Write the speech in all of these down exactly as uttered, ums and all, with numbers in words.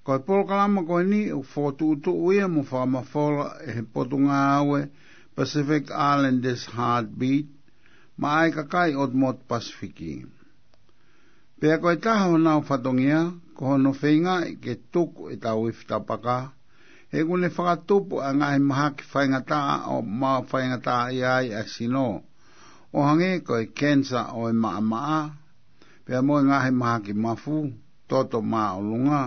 Ko e polokalama ko eni ʻoku fokotuʻutuʻu ia mo fakamafola ʻe he Potungāue Pacific Islanders Heartbeat maʻa e kakai ʻotu motu Pasifiki. Pea ko e taha honau fatongia, ko hono feingaʻi ke tuku ʻetau ifi tapaka, he ʻoku ne fakatupu ʻa e ngaahi mahaki faingataʻa ʻoku maʻu faingataʻaʻia ai ʻa e sino, ʻo hangē ko e kenisa ʻo e maʻamaʻa, pea mo e ngaahi mahaki mafu, toto māʻolunga.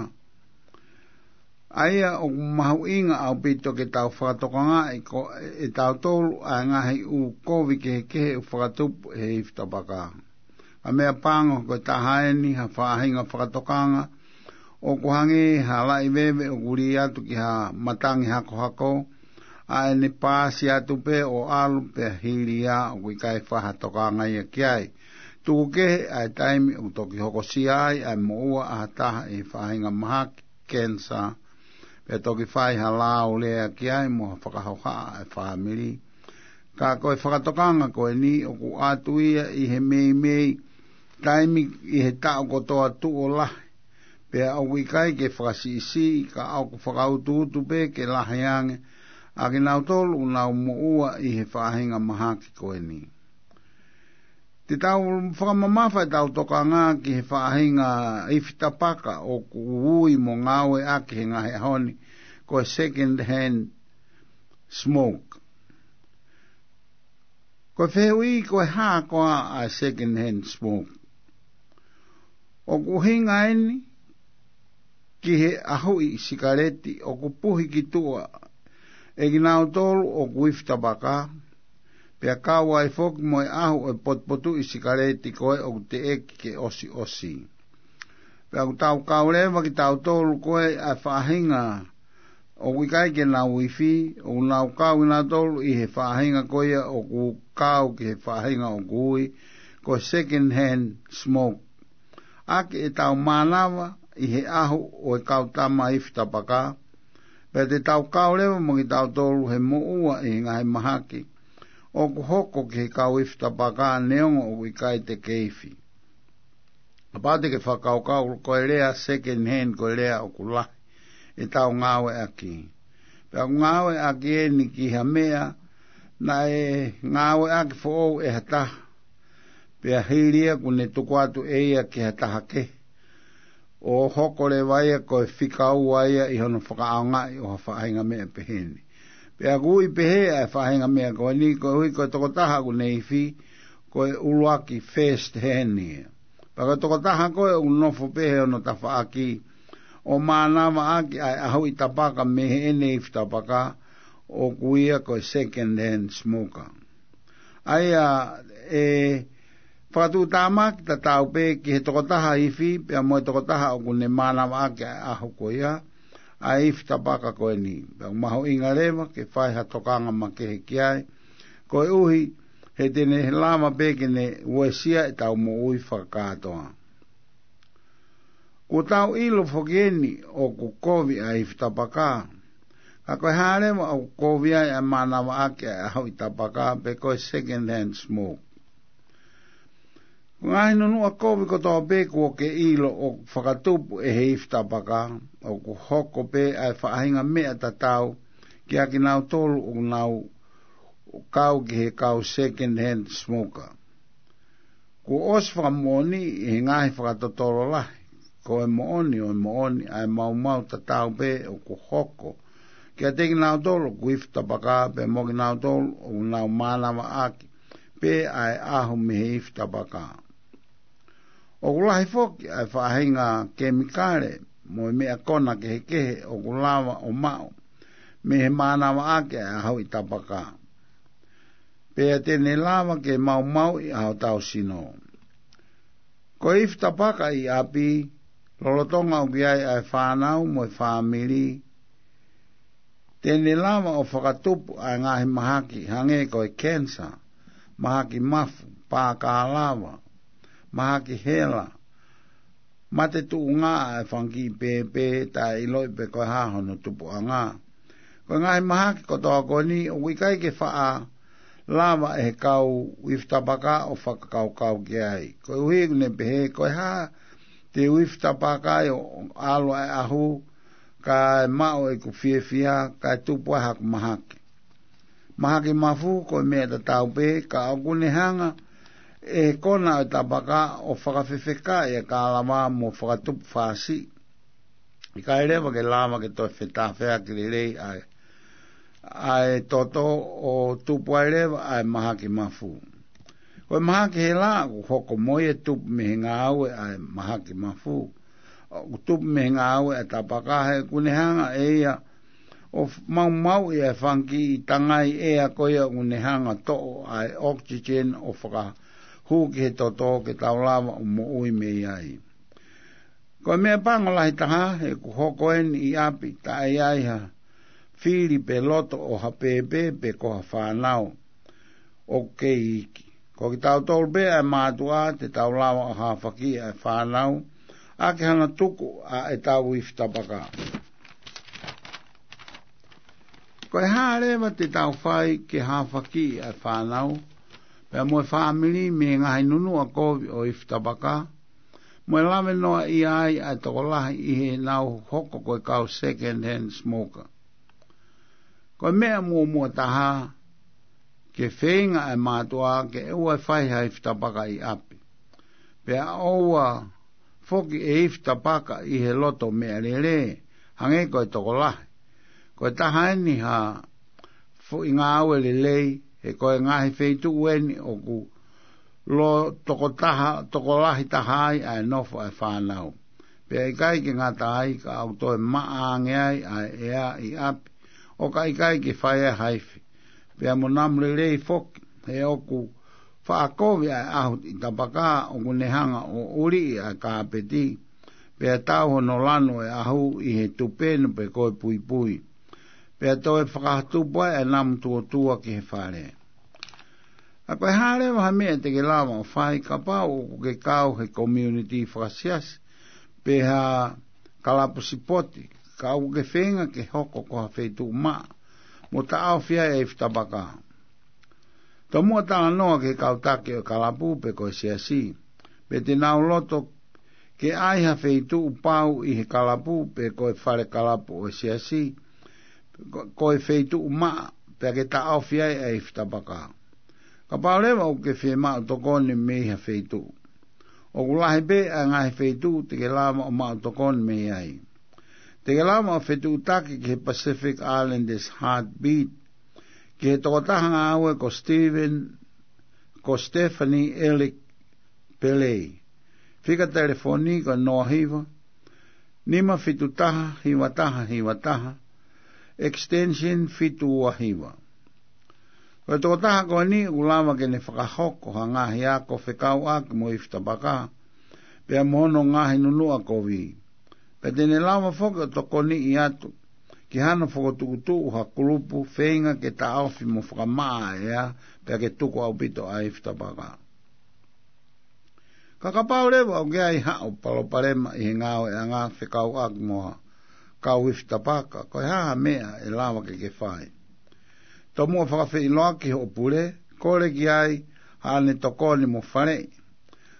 ʻA ia ʻoku mahuʻinga ʻaupito ke tau fakatokangaʻi ko ʻetautolu ʻa e ngaahi ʻū kovi kehekehe ʻoku fakatupu ʻe he ifi tapaka. ʻA e meʻapango ko e taha eni ha faʻahinga fakatokanga ʻoku hangē ha laʻi veve ʻoku lī atu ki ha matangi hakohako, ʻa ʻene paasi atu pē ʻo ʻalu pea hili ia ʻoku ʻikai fai ha tokanga ia ki ai. Tuku kehe ʻa e taimi ʻoku toki hokosia ai ʻa e moʻua ʻa ha taha ʻi he faʻahinga mahaki kenisa, pea toki fai ha laulea ki ai mo ha fakahohaʻa ʻa e fāmili. Ka ko e fakatokanga ko eni ʻoku ʻatu ia ʻi he meimei taimi ʻi he taʻu kotoa tuʻo lahi. Pea ʻoku ʻikai ke fakasiʻisiʻi ka ʻoku fakautuutu pē ke lahi ange ʻa kinautolu ʻoku nau moʻua ʻi he faʻahinga mahaki ko eni. Te tau fakamamafa ʻetau tokanga ki he faʻahinga ifi tapaka ʻoku ui mo ngāueʻaki he ngaahi ʻaho ni ko e second hand smoke. Ko e fehuʻi, ko e hā koā ʻa e second hand smoke? ʻOku ʻuhinga eni ki he ʻahuʻi sikaleti ʻoku puhi ki tuʻa ʻe kinautolu ʻoku ifi tapaka, pea kau ai foki mo e ʻahu ʻo e potupotuʻi sikaleti ko ē ʻoku teʻeki ke ʻosiʻosi. Pea ʻoku tau kau leva kitautolu ko ē ʻa e faʻahinga ʻoku ʻikai ke nau ifi, ʻoku nau kau kinautolu ʻi he faʻahinga ko ia ʻoku kau ki he faʻahinga ʻoku ui ko e second hand smoke. ʻAki ʻetau mānava ʻi he ʻahu ʻo e kau tama ifi tapaka, pea te tau kau leva mo kitautolu he moʻua ʻi he ngaahi mahaki ʻoku hoko ki he kau ifi tapaka neongo ʻoku ʻikai te ke ifi. Kapau te ke fakakaukau, ko e lea second hand ko e lea ʻoku lahi ʻetau ngāueʻaki. Pea ʻoku ngāueʻaki eni ki ha meʻa naʻe ngāueʻaki foʻou ʻe ha taha, pea hili ia kuo ne tuku atu ʻe ia ki ha taha kehe, ʻo hoko leva ia ko e fika ua ia ʻi hono fakaʻaongaʻi ʻo ha faʻahinga meʻa pehē ni. Pea ʻoku ui pehē ʻa e faʻahinga meʻa ko eni koeʻuhi ko e tokotaha ʻoku ne ifi, ko e ʻuluaki first hand ia. Pea ko e tokotaha ko ē ʻoku nofo pē he hono tafaʻaki ʻo mānavaʻaki ʻa e ʻahuʻi tapaka mei heʻene ifi tapaka, ʻoku ui ia ko e second hand smoker. ʻA ia ʻe fakatuʻutāmaki tatau pē ki he tokotaha ifi pea mo e tokotaha ʻoku ne mānavaʻaki ʻa e ʻahu ko ia, ʻa e ifi tapaka ko eni. Pea ʻoku mahuʻinga leva ke fai ha tokanga makehe ki ai, koeʻuhi he te ne lava pē ke ne uesia ʻetau moʻui fakakātoa. Kuo tau ʻilo foki eni ʻoku kovi ʻa e ifi tapaka. Ka ko e hā leva ʻoku kovi ai ʻa e mānavaʻaki ʻa e ʻahuʻi tapaka pe ko e second hand smoke? Ko e ngaahi nunuʻa kovi kotoa pē kuo ke ʻilo ʻoku fakatupu ʻe he ifi tapaka, ʻoku hoko pē ʻa e faʻahinga meʻa tatau kiate kinautolu ʻoku nau kau ki he kau second hand smoker. Kuo ʻosi fakamoʻoniʻi ʻe he ngaahi fakatotolo lahi, ko e moʻoni ʻo e moʻoni ʻa e maumau tatau pē ʻoku hoko kiate kinautolu ʻoku ifi tapaka pea mo kinautolu ʻoku nau mānavaʻaki pē ʻa e ʻahu mei he ifi tapaka. ʻOku lahi foki ʻa e faʻahinga kemikale mo e meʻa kona kehekehe ʻoku lava ʻo maʻu mei he mānavaʻaki ʻa e ʻahuʻi tapaka, pea te ne lava ke maumauʻi ʻa hotau sino. Ko e ifi tapaka ʻi ʻapi, lolotonga ʻoku ʻi ai ʻa e fānau mo e fāmili, te ne lava ʻo fakatupu ʻa e ngaahi mahaki hangē ko e kenisa, mahaki mafu, pākālava, mahaki hela, mate tuʻunga ʻa e fanga kiʻi pēpē taʻeʻiloʻi pe ko e hā hono tupuʻanga. Ko e ngaahi mahaki kotoa ko eni ʻoku ʻikai ke faʻa lava ʻe he kau ifi tapaka ʻo fakakaukau ki ai. Koeʻuhi ʻoku ne pehē, ko e hā te u ifi tapaka ai ʻo ʻalu ʻa e ʻahu kae maʻu ʻeku fiefia, kae tupu ai haku mahaki. Mahaki mafu ko e meʻa tatau pē, ka ʻoku ne hanga ʻe he kona ʻo e tapaka ʻo fakafefekaʻi ʻa e kālava mo fakatupu fāsiʻi. ʻIkai leva ke lava ke toe fetāfeaki lelei ʻa e, ʻa e toto ʻo tupu ai leva ʻa e mahaki mafu. Ko e mahaki hela ʻoku hoko mo ia, tupu mei he ngāue ʻa e mahaki mafu. ʻOku tupu mei he ngāue ʻa e tapaka he ʻoku ne hanga ʻe ia ʻo f-, maumauʻi ʻa e fanga kiʻi tangai ʻea ko ia ʻoku ne hanga toʻo ʻa e oxygen ʻo fakahū ki he toto ke tau lava ʻo moʻui mei ai. Ko e meʻapango lahi taha, he ʻoku hoko eni ʻi ʻapi, taʻe ʻi ai ha fili pe loto ʻo ha pēpē pe ko ha fānau ʻoku kei iiki. Ko kitautolu pē ʻa e mātuʻa te tau lava ʻo hāfakiʻi ʻa e fānau ʻaki hano tuku ʻa ʻetau ifi tapaka. Ko e hā leva te tau fai ke hāfakiʻi ʻa e fānau pea mo e fāmili mei he ngaahi nunuʻa kovi ʻo e ifi tapaka, mo e lave noaʻia ai ʻa e tokolahi ʻi heʻenau hoko ko e kau second hand smoker? Ko e meʻa muʻomuʻa taha, ke feinga ʻa e mātuʻa ke ʻoua ʻe fai ha ifi tapaka ʻi ʻapi. Pea ʻoua foki ʻe ifi tapaka ʻi he loto meʻalele, hangē ko e tokolahi. Ko e taha eni ha foʻi ngāue lelei, he ko e ngaahi feituʻu eni ʻoku lō tokotaha, tokolahi taha ai ʻa e nofo ʻa e fānau. Pea ʻikai ke ngata ai, ka ʻoku toe maʻa ange ai ʻa e ʻea ʻi ʻapi, ʻo ka ʻikai ke fai ai ha ifi, pea mo namu lelei foki, he ʻoku faʻa kovi ʻa e ʻahu ʻi tapaka, ʻoku ne hanga ʻo ʻuliʻi ʻa e kāpeti, pea tau hono lanu ʻa e ʻahu ʻi he tupenu pe ko e puipui, pea toe fakatupu ai ʻa e namu tuotua ki he fale. ʻA ko e hā leva ha meʻa te ke lava ʻo fai kapau ʻoku ke kau he community fakasiasi, pe ha kalapu sipoti, ka ʻoku ke feinga ke hoko ko ha feituʻu maʻa mo taʻofi ai ʻa e ifi tapaka? Tomuʻa talanoa ki he kau taki ʻo e kalapu pe ko e siasi, pe te nau loto ke ʻai ha feituʻu pau ʻi he kalapu pe ko e fale kalapu ʻo e siasi, ko, ko e feituʻu maʻa, pea ke taʻofi ai ʻa e ifi tapaka. Kapau leva ʻoku ke fiemaʻu tokoni mei ha feituʻu, ʻoku lahi pē ʻa e ngaahi feituʻu te ke lava ʻo maʻu tokoni mei ai. Te ke lava ʻo fetuʻutaki ki he Pacific Islanders Heartbeat, ki he tokotaha ngāue ko Stephen, ko Stephanie Ellick Pelei. Fika telefoni ko noa hiva, nima fitu taha, hiva taha, hiva taha, extension fitu ua hiva. Ko e tokotaha ko eni ʻoku lava ke ne fakahoko ha ngaahi ako fekauʻaki mo e ifi tapaka, pea mo hono ngaahi nunuʻa kovi. Pea te ne lava foki ʻo tokoniʻi atu ki hano fokotuʻutuʻu ha kulupu feinga ke taʻofi mo fakamaʻa ʻa e ʻea, pea ke tuku ʻaupito ʻa e ifi tapaka. Ka kapau leva ʻoku ʻi ai haʻo palopalema ʻi he ngāueʻanga fekauʻaki mo ha kau ifi tapaka, ko e hā ha meʻa ʻe lava ke ke fai? Tomuʻa fakafeʻiloaki hoʻo pule, kole ki ai haʻane tokoni mo faleʻi.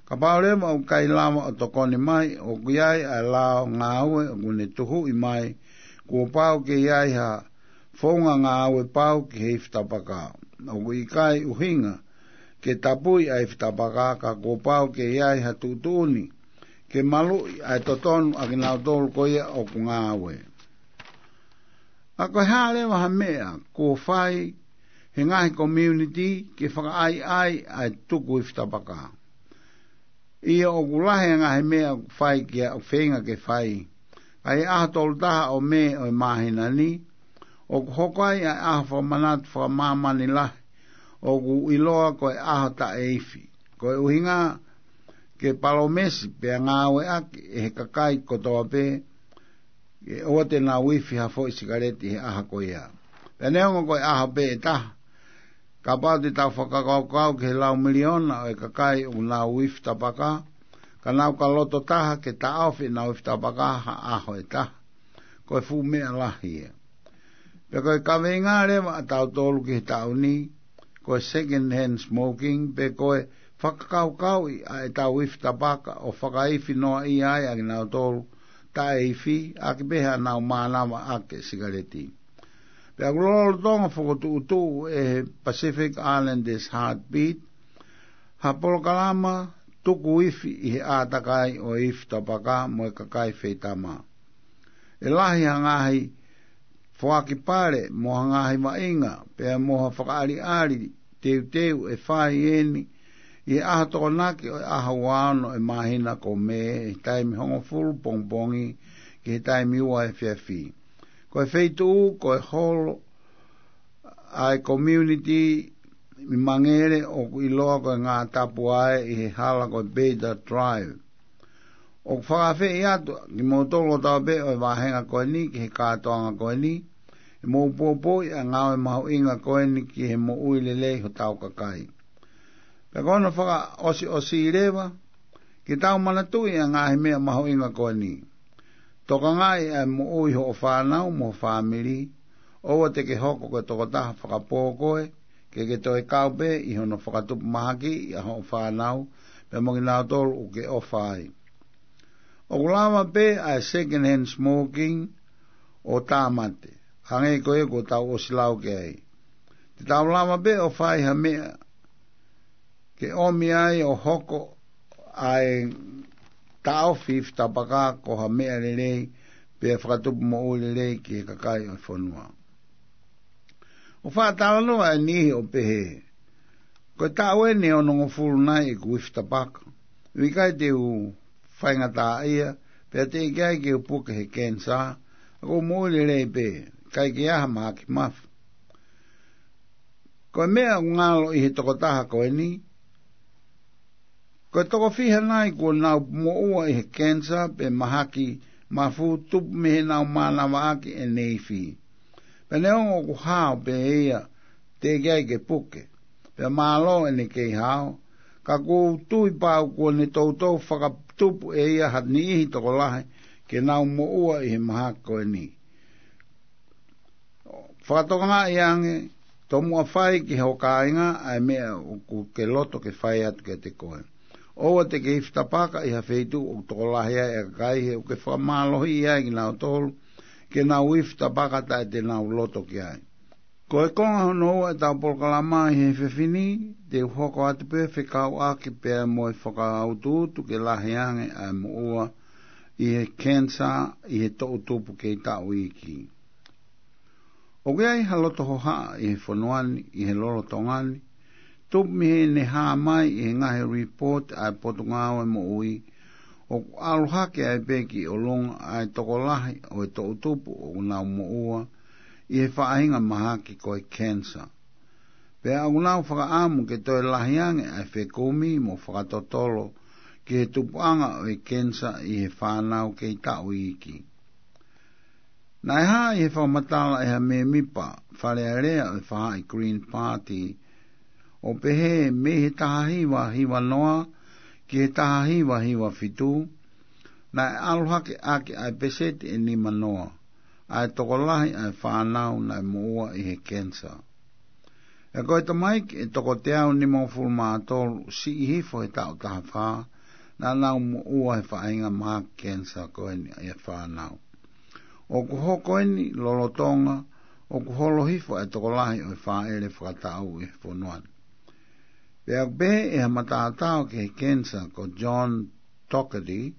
Kapau leva ʻoku ʻikai lava ʻo tokoni mai, ʻoku ʻi ai ʻa e lao ngāue ʻoku ne tuhuʻi mai, kuo pau ke ʻi ai ha founga ngāue pau ki he ifi tapaka. ʻOku ʻikai ʻuhinga ke tapui ʻa e ifi tapaka, ka kuo pau ke ʻi ai ha tuʻutuʻuni ke maluʻi ʻa e totonu ʻa kinautolu ko ia ʻoku ngāue. ʻA ko e hā leva ha meʻa kuo fai he ngaahi community ke fakaʻaiʻai ʻa e tuku ifi tapaka? ʻIo, ʻoku lahi ʻa e ngaahi meʻa ʻoku fai ki ai, ʻoku feinga ke fai. ʻA e ʻaho tolu taha ʻo Mē ʻo e māhina ni, ʻoku hoko ai ʻa e ʻaho fakamanatu fakamāmani lahi, ʻoku ʻiloa ko e ʻaho taʻeifi. Ko e ʻuhinga ke palōmesi pea ngāueʻaki ʻe he kakai kotoa pē, ʻe ʻoua te nau ifi ha foʻi sikaleti he ʻaho ko ia. Pea neongo ko e ʻaho pē ʻe taha, kapau te tau fakakaukau ki he lau miliona ʻo e kakai ʻoku nau ifi tapaka, ka nau ka loto taha ke taʻofi ʻenau ifi tapaka ha ʻaho ʻe taha, ko e fuʻu meʻa lahi ia. Pea ko e kaveinga leva ʻatautolu ki he taʻu ni, ko e second hand smoking, pe ko e fakakaukauʻi ʻa ʻetau ifi tapaka ʻo fakaifi noaʻia ai ʻa kinautolu taʻeifi, ʻaki pē haʻanau mānava ʻaki e sikaleti. Pea ʻoku lolotonga fokotuʻutuʻu ʻe he Pacific Islanders Heartbeat ha polokalama tuku ifi ʻi he ʻātakai ʻo e ifi tapaka mo e kakai feitama. ʻE lahi ha ngaahi foaki pale mo ha ngaahi vaʻinga, pea mo ha fakaʻaliʻali teuteu ʻe fai eni ʻi he ʻaho Tokonaki ʻo e ʻaho ua ono ʻo e māhina ko Mē, ʻi he taimi hongofulu pongipongi ki he taimi ua efiafi. Ko e feituʻu ko e holo ʻa e community ʻi Mangere ʻoku ʻiloa ko e Ngātapuae ʻi he hala ko e Beta Drive. ʻOku fakaafeʻi atu kimoutolu kotoa pē ʻo e vāhenga ko eni ki he kātoanga ko eni, ʻe mou poupouʻi ʻa e ngāue mahuʻinga ko eni ki he moʻui lelei hotau kakai. Pea ko hono fakaʻosiʻosi leva, ke tau manatuʻi ʻa e ngaahi meʻa mahuʻinga ko eni. Tokangaʻi ʻa e moʻui hoʻo fānau mo ho fāmili, ʻoua te ke hoko ko e tokotaha fakapō koe, ke ke toe kau pē ʻi hono fakatupu mahakiʻi ʻa hoʻo fānau, pea mo kinautolu ʻoku ke ʻofa ai. ʻOku lava pē ʻa e second hand smoking ʻo tāmate, hangē ko ia kuo tau ʻosi lau ki ai. Te tau lava pē ʻo fai ha meʻa ke ʻomi ai ʻo hoko ʻa e taʻofi ifi tapaka ko ha meʻa lelei, pea fakatupu moʻui lelei ki he kakai ʻo e fonua. ʻOku faʻa talanoa ʻa e niʻihi ʻo pehē, ko e taʻu eni ʻe onongofulu nai ʻeku ifi tapaka. ʻOku ʻikai te u faingataʻaʻia, pea teʻeki ai ke u puke he cancer, ʻoku ou moʻui lelei pē, ʻikai ke ʻi ai ha mahaki mafu. Ko e meʻa ʻoku ngalo ʻi he tokotaha ko eni, ko e toko fiha nai kuo nau moʻua ʻi he cancer pe mahaki mafu tupu mei heʻenau mānava ʻaki ʻene ifi. Pea neongo ʻoku hao pē ia, teʻeki ai ke puke, pea mālō ʻene kei hao, ka ʻoku ou tui pau kuo ne toutou fakatupu ʻe ia ha niʻihi tokolahi ke nau moʻua ʻi he mahaki ko eni. Fakatokangaʻi ange, tomuʻa fai ki ho kāinga ʻa e meʻa ʻoku ke loto ke fai atu kiate koe. ʻOua te ke ifi tapaka ʻi ha feituʻu ʻoku tokolahi ai ʻa e kakai, he ʻoku ke fakamālohiʻi ai kinautolu ke nau ifi tapaka taʻe te nau loto ki ai. Ko e konga hono ua ʻetau polokalama ʻi he efiafi ni, te u hoko atu pē fekauʻaki pea mo e fakautuutu ke lahi ange ʻa e moʻua ʻi he cancer ʻi he toʻutupu kei taʻu iiki. ʻOku ʻi ai ha loto hohaʻa ʻi he fonua ni, ʻi he lolotonga ni, tupu mei heʻene hā mai ʻi he ngaahi report ʻa e Potungāue Moʻui, ʻoku ʻalu hake ai pē ki ʻolunga ʻa e tokolahi ʻo e toʻutupu ʻoku nau moʻua ʻi he faʻahinga mahaki ko e cancer. Pea ʻoku nau fakaʻamu ke toe lahi ange ʻa e fekumi mo fakatotolo ki he tupuʻanga ʻo e cancer ʻi he fānau kei taʻu iiki. Naʻe hā ʻi he fakamatala ʻe ha mēmipa Fale Alea ʻo e faʻahi Green Party, ʻo pehē mei he taha hiva hiva noa ki he taha hiva hiva fitu, naʻe ʻalu hake ʻaki ʻa e peseti ʻe nima noa ʻa e tokolahi ʻa e fānau naʻe moʻua ʻi he cancer. ʻE ko e tamaiki ʻe toko teau nimangofulu mā tolu siʻi hifo he taʻu taha fā, naʻa nau moʻua he faʻahinga mahaki cancer ko eni ʻa e fānau. ʻOku hoko eni lolotonga ʻoku holo hifo ʻa e tokolahi ʻo e fāʻele fakataʻu ʻi he fonua ni. Pea ʻoku pehē ʻe ha matātao ki he cancer ko John Doherty,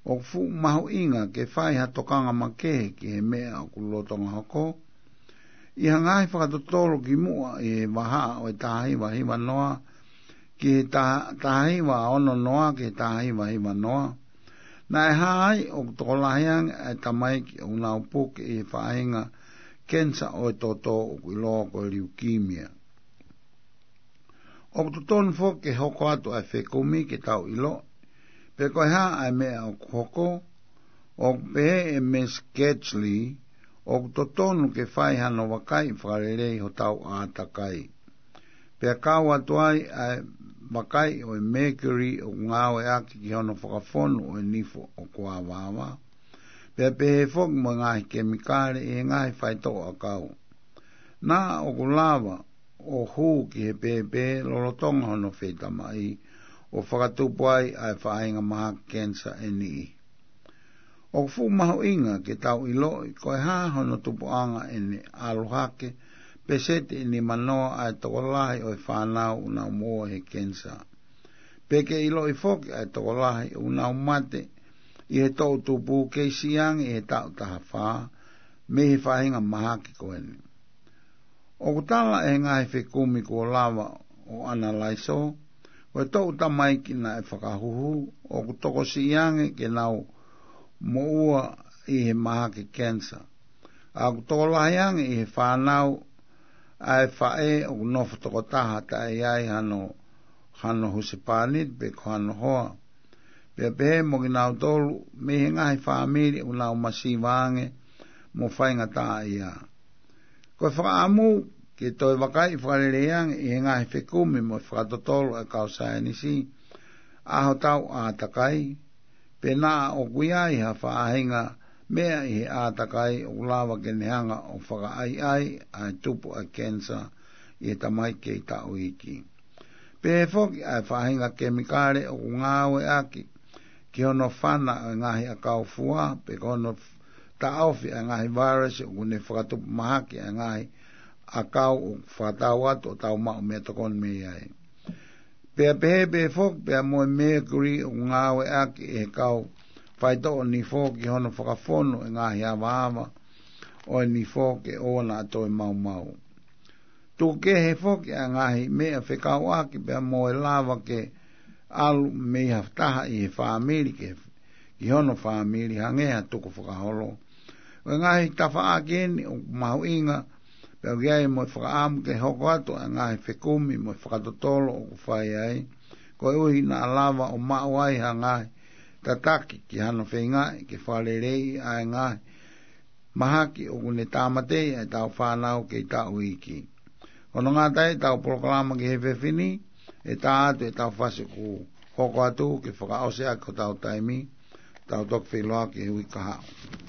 ʻoku fuʻu mahuʻinga ke fai ha tokanga makehe ki he meʻa ʻoku lolotonga hoko, ʻi ha ngaahi fakatotolo kimuʻa ʻi he vahaʻa ʻo e taha hiva hiva noa ki he taha, taha hiva ono noa ki he taha hiva hiva noa. Naʻe hā ai ʻoku tokolahi ange ʻa e tamaiki ʻoku nau puke ʻi he faʻahinga cancer ʻo e toto ʻoku ʻiloa ko e leukemia. ʻOku totonu foki ke hoko atu ʻa e fekumi ke tau ʻilo pe ko e hā ʻa e meʻa ʻoku hoko. ʻOku pehē ʻe Miss Gately, ʻoku totonu ke fai hano vakai fakalelei hotau ʻātakai, pea kau atu ai ʻa e vakai ʻo e mercury ʻoku ngāueʻaki ki hono fakafonu ʻo e nifo ʻoku avaava, pea pehē foki mo e ngaahi kemikale ʻi he ngaahi faitoʻo ʻakau. Naʻa ʻoku lava ʻo hū ki he pēpē lolotonga hono feitamaʻi ʻo fakatupu ai ʻa e faʻahinga mahaki cancer ʻe niʻihi. ʻOku fuʻu mahuʻinga ke tau ʻiloʻi ko e hā hono tupuʻanga ʻene ʻalu hake, peseti ʻe nimanoa ʻa e tokolahi ʻo e fānau ʻoku nau moʻua he kenisa. Pea ke ʻiloʻi foki ʻa e tokolahi ʻoku nau mate ʻi he toʻu tupu kei siʻi ange ʻi he taʻu taha fā, mei he faʻahinga mahaki ko eni. ʻOku tala ʻe he ngaahi fekumi kuo lava ʻo ʻanalaiso, ko e toʻu tamaiki naʻe fakahuhu, ʻoku tokosiʻi ange ke nau moʻua ʻi he mahaki kenisa. ʻA ʻoku tokolahi ange ʻi he fānau ʻa e faʻē ʻoku nofo tokotaha taʻe ʻi ai hano, hano husepāniti pe ko hano hoa. Pea pehē mo kinautolu mei he ngaahi fāmili ʻoku nau masiva ange mo faingataʻaʻia. Ko e fakaʻamu ke toe vakaiʻi fakalelei ange ʻi he ngaahi fekumi mo e fakatotolo ʻa e kau saienisi ʻa hotau ʻātakai, pe naʻa ʻoku ʻi ai ha faʻahinga meʻa ʻi he ʻātakai ʻoku lava ke ne hanga ʻo fakaʻaiʻai ʻa e tupu ʻa e kenisa ʻi he tamaiki kei taʻu iiki. Pehē foki ʻa e faʻahinga kemikale ʻoku ngāueʻaki ki hono fana ʻa e ngaahi ʻakau fua, pe ko hono f-, taʻofi ʻa e ngaahi vailasi ʻoku ne fakatupu mahaki ʻa e ngaahi ʻakau ʻoku fakatau atu ʻo tau maʻu meʻatokoni mei ai. Pea pehē pē foki pea mo e mercury ʻoku ngāueʻaki ʻe he kau faitoʻo nifo ki hono fakafonu e ngaahi avaava ʻo e nifo ke ʻoua naʻa toe maumau. Tuku kehe foki ʻa e ngaahi meʻa fekauʻaki pea mo e lava ke ʻalu mei ha taha ʻi he fāmili ke, ki hono fāmili hangē ha tukufakaholo. ʻO e ngaahi tafaʻaki eni ʻoku mahuʻinga, pea ʻoku ʻi ai mo e fakaʻamu ke hoko atu ʻa e ngaahi fekumi mo e fakatotolo ʻoku fai ai, koeʻuhi naʻa lava ʻo maʻu ai ha ngaahi tataki ki hano feingaʻi ke fakaleleiʻi ʻa e ngaahi mahaki ʻoku ne tāmateʻi ʻa e tau fānau kei taʻu iiki. Ko hono ngata ai ʻetau polokalama ki he efiafi ni, ʻe tā atu ʻetau fasi ʻoku hoko atu ke fakaʻosi ʻaki hotau taimi, tau toki feʻiloaki he uike kahaʻu.